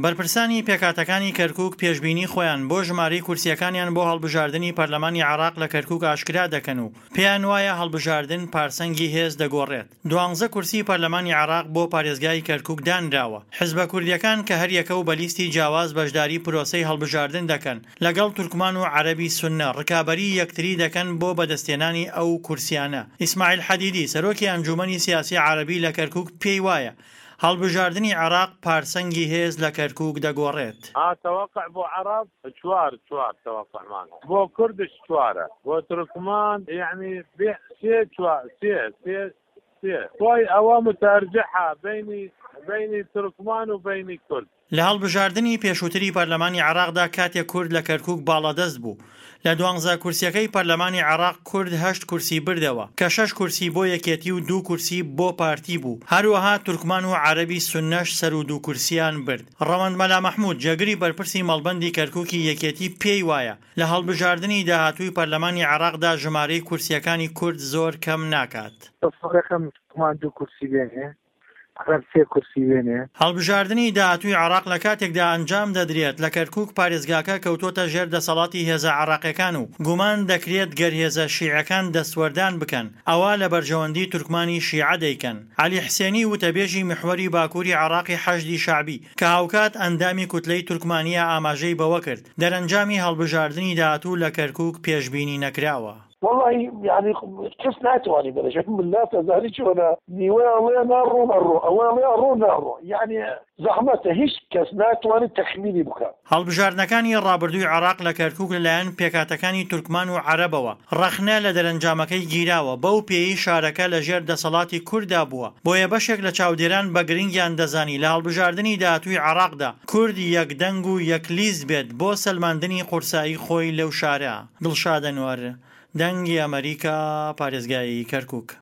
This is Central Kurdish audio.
بەرپرسانی پێکهاتەکانی کەرکوک پێشبینی خۆیان بۆ ژمارەی کورسییەکانیان بۆ هەڵبژاردنی پەرلەمانی عێراق لە کەرکوک ئاشکرا دەکەن و پێیان وایە هەڵبژاردن پارسەنگی هێز دەگۆڕێت. دوانزە کورسی پەرلەمانی عێراق بۆ پارێزگای کەرکوک دانراوە. حزبە کوردییەکان کە هەریەکە و بە لیستی جیاواز بەشداری پرۆسەی هەڵبژاردن دەکەن، لەگەڵ تورکمان و عەرەبی سوننە ڕکابەریی یەکتری دەکەن بۆ بەدەستهێنانی ئەو کورسیانە. ئیسماعیل حەدیدی، سەرۆکی ئەنجوومەنی سیاسی عەرەبی لە کەرکوک پێی وایە، هەڵبژاردنی عێراق پارسەنگی هێز لە کەرکوک دەگۆڕێت. ها تەوەقع بۆ عەڕەب چوار چوار تەوەقعمان هەیە بۆ کوردش چوارە بۆ تورکمان یەعنی بێ سێ چوار سێ سێ سێ خۆی ئەوە متەرجحە بەینی بەینی تورکمان و بەینی کورد. لە هەڵبژاردنی پێشووتری پەرلەمانی عێراقدا کاتێک کورد لە کەرکوک باڵادەست بوو، لە دوانزە کورسیەکەی پەرلەمانی عێراق کورد هەشت کورسی بردەوە، کە شەش کورسی بۆ یەکێتی و دوو کورسی بۆ پارتی بوو، هەروەها تورکمان و عەرەبی سوننەش سەروو دوو کورسیان برد. ڕەوەند مەلا مەحمود، جێگری بەرپرسی مەڵبەندی کەرکوکی یەکێتی پێی وایە، لە هەڵبژاردنی داهاتووی پەرلەمانی عێراقدا ژمارەی کورسیەکانی کورد زۆر کەم ناکات. تەسەورەکەم تورکمان دوو کورسی بێنێ، عەرەب سێ کورسی بێنێ. هەڵبژاردنی داهاتووی عێراق لە کاتێکدا ئەنجام دەدرێت، لە کەرکوک پارێزگاکە کەوتۆتە ژێر دەسەڵاتی هێزە عێراقیەکان و گومان دەکرێت گەر هێزە شیعەکان دەستوەردان بکەن ئەوا لە بەرژەوەندی تورکمانی شیعە دەیکەن. عەلی حسێنی وتەبێژی میحوەری باکوری عێراقی حەشدی شەعبی کە هاوکات ئەندامی کوتلەی تورکمانیە ئاماژەی بەوەکرد، دەرەنجامی هەڵبژاردنی داهاتوو لە کەرکوک پێشبینی نەکراوە. وەڵاهی یانی کەس ناتوانی بڵێ ملات ئەزانی چۆنە نیوە ئەڵێ ناڕۆ ئەڕۆ ئەوە ئەڵێ ئەڕۆ ناڕۆ یانی زەحمەتە هیچ کەس ناتوانێت تەخمینی بکا. هەڵبژاردنەکانی ڕابردووی عێراق لە کەرکوک لەلایەن پێکهاتەکانی تورکمان و عەرەبەوە ڕەخنە لە دەرەنجامەکەی گیراوە، بەو پێیەی شارەکە لەژێر دەسەڵاتی کورددا بووە، بۆیە بەشێک لە چاودێران بە گرنگیان دەزانی لە هەڵبژاردنی داهاتووی عێراقدا کورد یەک دەنگ و یەک لیست بێت بۆ سەلماندنی قورسایی خۆی لەو شارە. دڵشاد ئەنوەر، دەنگی ئەمەریکا، پارێزگای کەرکوک.